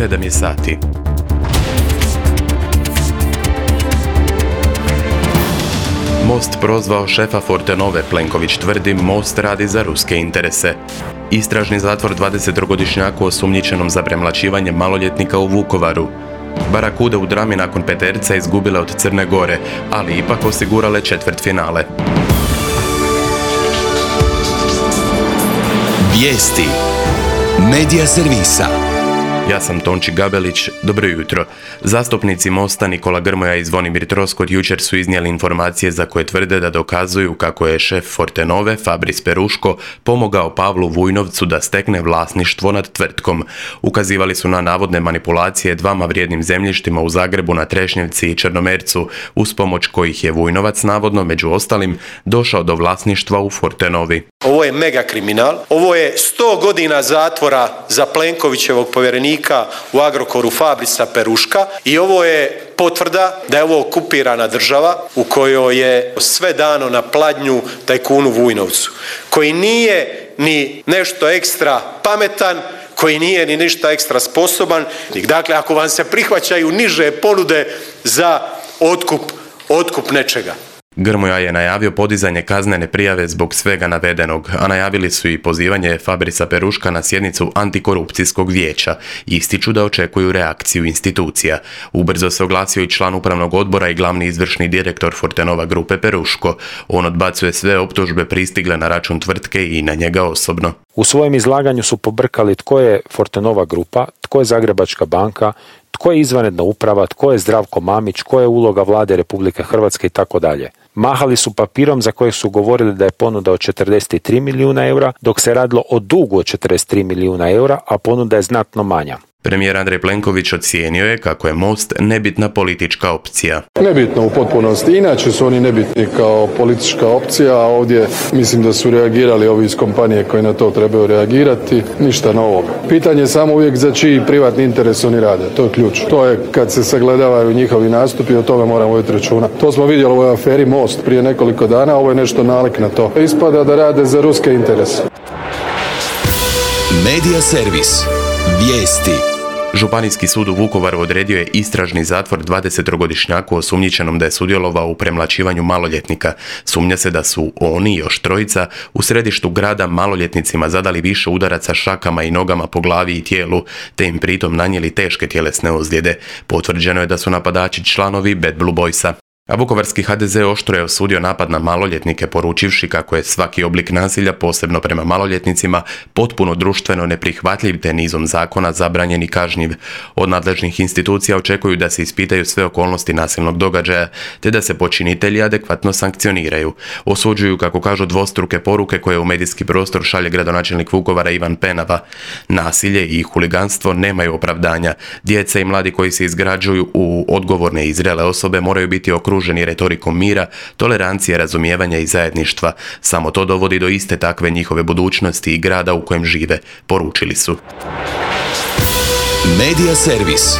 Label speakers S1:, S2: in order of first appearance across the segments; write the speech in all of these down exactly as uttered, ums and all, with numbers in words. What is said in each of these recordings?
S1: sedam je sati. Most prozvao šefa Fortenove, Plenković tvrdi Most radi za ruske interese. Istražni zatvor dvadesettrogodišnjaku osumnjičenom za premlaćivanje maloljetnika u Vukovaru. Barakude u drami nakon peterca izgubile od Crne Gore, ali ipak osigurale četvrtfinale.
S2: Vijesti Medija servisa.
S1: Ja sam Tonči Gabelić, dobro jutro. Zastupnici Mosta Nikola Grmoja i Zvonimir Troskot jučer su iznijeli informacije za koje tvrde da dokazuju kako je šef Fortenove, Fabris Peruško, pomogao Pavlu Vujnovcu da stekne vlasništvo nad tvrtkom. Ukazivali su na navodne manipulacije dvama vrijednim zemljištima u Zagrebu na Trešnjevci i Črnomercu, uz pomoć kojih je Vujnovac navodno, među ostalim, došao do vlasništva u Fortenovi.
S3: Ovo je mega kriminal, ovo je sto godina zatvora za Plenkovićevog povjerenika u Agrokoru Fabrisa Peruška i ovo je potvrda da je ovo okupirana država u kojoj je sve dano na pladnju tajkunu Vujnovcu, koji nije ni nešto ekstra pametan, koji nije ni ništa ekstra sposoban. Dakle, ako vam se prihvaćaju niže ponude za otkup, otkup nečega.
S1: Grmoja je najavio podizanje kaznene prijave zbog svega navedenog, a najavili su i pozivanje Fabrisa Peruška na sjednicu antikorupcijskog vijeća. Ističu da očekuju reakciju institucija. Ubrzo se oglasio i član upravnog odbora i glavni izvršni direktor Fortenova grupe Peruško. On odbacuje sve optužbe pristigle na račun tvrtke i na njega osobno.
S4: U svojem izlaganju su pobrkali tko je Fortenova grupa, tko je Zagrebačka banka, tko je izvanredna uprava, tko je Zdravko Mamić, tko je uloga vlade Republike Hrvatske i tako dalje. Mahali su papirom za kojeg su govorili da je ponuda od četrdeset tri milijuna eura, dok se radilo o dugu od četrdeset tri milijuna eura, a ponuda je znatno manja.
S1: Premijer Andrej Plenković ocijenio je kako je Most nebitna politička opcija.
S5: Nebitno u potpunosti, inače su oni nebitni kao politička opcija, a ovdje mislim da su reagirali ovi iz kompanije koji na to trebaju reagirati, ništa novog. Pitanje je samo uvijek za čiji privatni interes oni rade, to je ključ. To je kad se sagledavaju njihovi nastupi, o tome moramo voditi računa. To smo vidjeli u ovoj aferi Most prije nekoliko dana, ovo je nešto nalik na to. Ispada da rade za ruske interese.
S2: Medija servis. Vijesti.
S1: Županijski sud u Vukovaru odredio je istražni zatvor dvadesettrogodišnjaku osumnjičenom da je sudjelovao u premlaćivanju maloljetnika. Sumnja se da su oni i još trojica u središtu grada maloljetnicima zadali više udaraca šakama i nogama po glavi i tijelu, te im pritom nanijeli teške tjelesne ozljede. Potvrđeno je da su napadači članovi Bad Blue Boysa. A vukovarski ha de ze oštro je osudio napad na maloljetnike, poručivši kako je svaki oblik nasilja, posebno prema maloljetnicima, potpuno društveno neprihvatljiv te nizom zakona zabranjen i kažnjiv. Od nadležnih institucija očekuju da se ispitaju sve okolnosti nasilnog događaja, te da se počinitelji adekvatno sankcioniraju. Osuđuju, kako kažu, dvostruke poruke koje u medijski prostor šalje gradonačelnik Vukovara Ivan Penava. Nasilje i huliganstvo nemaju opravdanja. Djeca i mladi koji se izgrađuju u odgovorne i zrele osobe moraju biti okruženi okruženi retorikom mira, tolerancije, razumijevanja i zajedništva. Samo to dovodi do iste takve njihove budućnosti i grada u kojem žive, poručili su.
S2: Medija servis.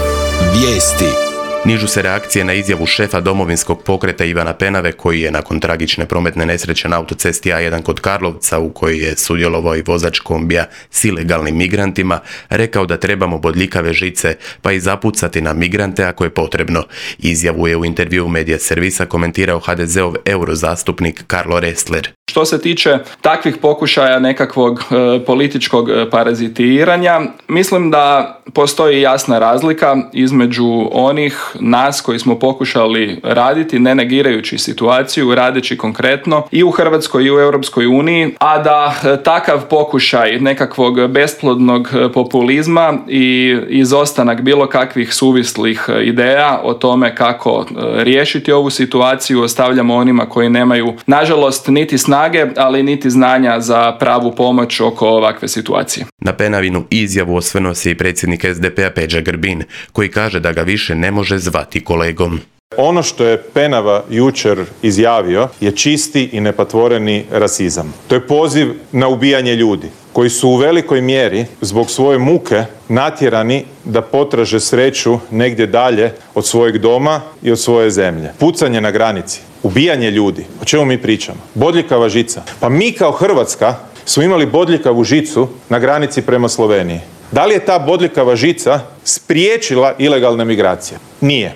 S2: Vijesti.
S1: Nižu se reakcije na izjavu šefa Domovinskog pokreta Ivana Penave, koji je nakon tragične prometne nesreće na autocesti a jedan kod Karlovca, u kojoj je sudjelovao i vozač kombija s ilegalnim migrantima, rekao da trebamo bodljikave žice, pa i zapucati na migrante ako je potrebno. Izjavu je u intervjuu Medija servisa komentirao ha de zeov eurozastupnik Karlo Restler.
S6: Što se tiče takvih pokušaja nekakvog e, političkog parazitiranja, mislim da postoji jasna razlika između onih nas koji smo pokušali raditi, ne negirajući situaciju, radeći konkretno i u Hrvatskoj i u Europskoj uniji, a da e, takav pokušaj nekakvog besplodnog populizma i izostanak bilo kakvih suvislih ideja o tome kako e, riješiti ovu situaciju ostavljamo onima koji nemaju, nažalost, niti snage, ali niti znanja za pravu pomoć oko ovakve situacije.
S1: Na Penavinu izjavu osvrnuo se i predsjednik es de pe a Peđa Grbin, koji kaže da ga više ne može zvati kolegom.
S7: Ono što je Penava jučer izjavio je čisti i nepatvoreni rasizam. To je poziv na ubijanje ljudi koji su u velikoj mjeri zbog svoje muke natjerani da potraže sreću negdje dalje od svojeg doma i od svoje zemlje. Pucanje na granici, ubijanje ljudi, o čemu mi pričamo? Bodljikava žica. Pa mi kao Hrvatska smo imali bodljikavu žicu na granici prema Sloveniji. Da li je ta bodljikava žica spriječila ilegalne migracije? Nije.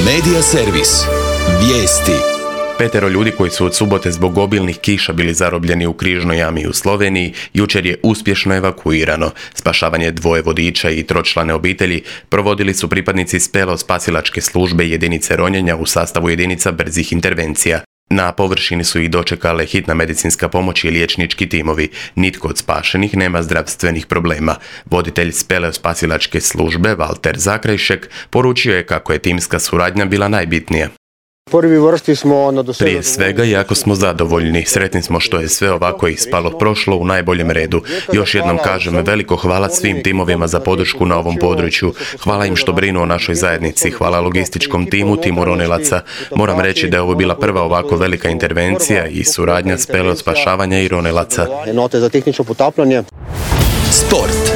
S2: Medija servis. Vijesti.
S1: Petero ljudi koji su od subote zbog obilnih kiša bili zarobljeni u križnoj jami u Sloveniji jučer je uspješno evakuirano. Spašavanje dvoje vodiča i tročlane obitelji provodili su pripadnici spelo-spasilačke službe jedinice ronjenja u sastavu jedinica brzih intervencija. Na površini su ih dočekale hitna medicinska pomoć i liječnički timovi. Nitko od spašenih nema zdravstvenih problema. Voditelj spelo-spasilačke službe Valter Zakrajšek poručio je kako je timska suradnja bila najbitnija. Prije svega, jako smo zadovoljni. Sretni smo što je sve ovako ispalo prošlo u najboljem redu. Još jednom kažem veliko hvala svim timovima za podršku na ovom području. Hvala im što brinu o našoj zajednici. Hvala logističkom timu, timu ronilaca. Moram reći da je ovo bila prva ovako velika intervencija i suradnja spelo spašavanja i ronilaca.
S2: Sport.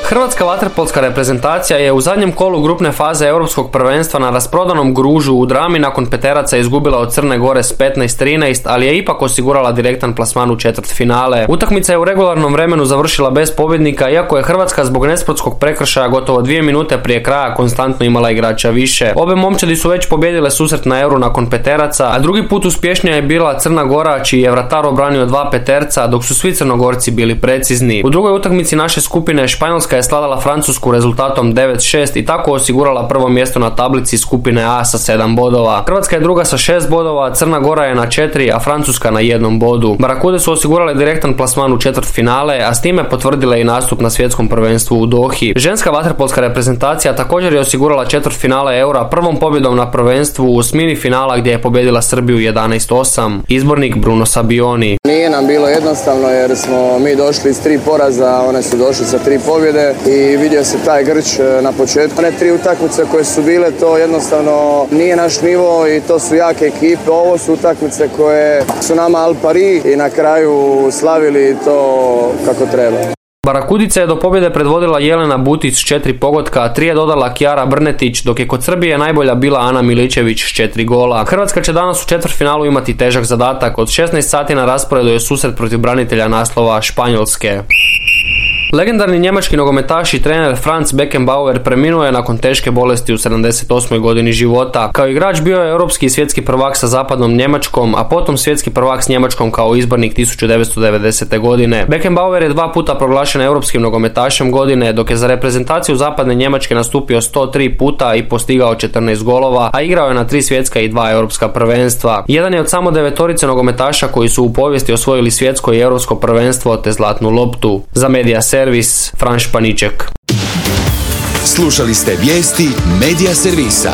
S8: Hrvatska vaterpolska reprezentacija je u zadnjem kolu grupne faze Europskog prvenstva na rasprodanom Gružu u Drami nakon peteraca izgubila od Crne Gore s petnaest trinaest, ali je ipak osigurala direktan plasman u četvrtfinale. Utakmica je u regularnom vremenu završila bez pobjednika, iako je Hrvatska zbog nesportskog prekršaja gotovo dvije minute prije kraja konstantno imala igrača više. Obe momčadi su već pobijedile susret na Euru nakon peteraca, a drugi put uspješnija je bila Crna Gora, čiji je vratar obranio dva peterca, dok su svi Crnogorci bili precizni. U drugoj utakmici naše skupine Španjolska je sladala Francusku rezultatom devet šest i tako osigurala prvo mjesto na tablici skupine A sa sedam bodova. Hrvatska je druga sa šest bodova, Crna Gora je na četiri, a Francuska na jednom bodu. Barakude su osigurale direktan plasman u četvrtfinale, a s time potvrdile i nastup na svjetskom prvenstvu u Dohi. Ženska vaterpolska reprezentacija također je osigurala četvrtfinale Eura prvom pobjedom na prvenstvu u osmini finala gdje je pobjedila Srbiju jedanaest osam. Izbornik Bruno Sabioni.
S9: Nije nam bilo jednostavno jer smo mi došli iz tri poraza, one su došli sa tri pobjede i vidio se taj grč na početku. One tri utakmice koje su bile, to jednostavno nije naš nivo i to su jake ekipe. Ovo su utakmice koje su nama al pari i na kraju slavili to kako treba.
S8: Barakudica je do pobjede predvodila Jelena Butić s četiri pogotka, a tri je dodala Kjara Brnetić, dok je kod Srbije najbolja bila Ana Miličević s četiri gola. Hrvatska će danas u četvrtfinalu imati težak zadatak. Od šesnaest sati na rasporedu je susret protiv branitelja naslova Španjolske. Legendarni njemački nogometaš i trener Franz Beckenbauer preminuo je nakon teške bolesti u sedamdeset osmoj godini života. Kao igrač bio je europski i svjetski prvak sa zapadnom Njemačkom, a potom svjetski prvak s Njemačkom kao izbornik tisuću devetsto devedesete. godine. Beckenbauer je dva puta proglašen europskim nogometašem godine, dok je za reprezentaciju zapadne Njemačke nastupio sto tri puta i postigao četrnaest golova, a igrao je na tri svjetska i dva europska prvenstva. Jedan je od samo devetorice nogometaša koji su u povijesti osvojili svjetsko i europsko prvenstvo te zlatnu loptu. Za Medija servis, Fran Španiček.
S2: Slušali ste vijesti Medija servisa.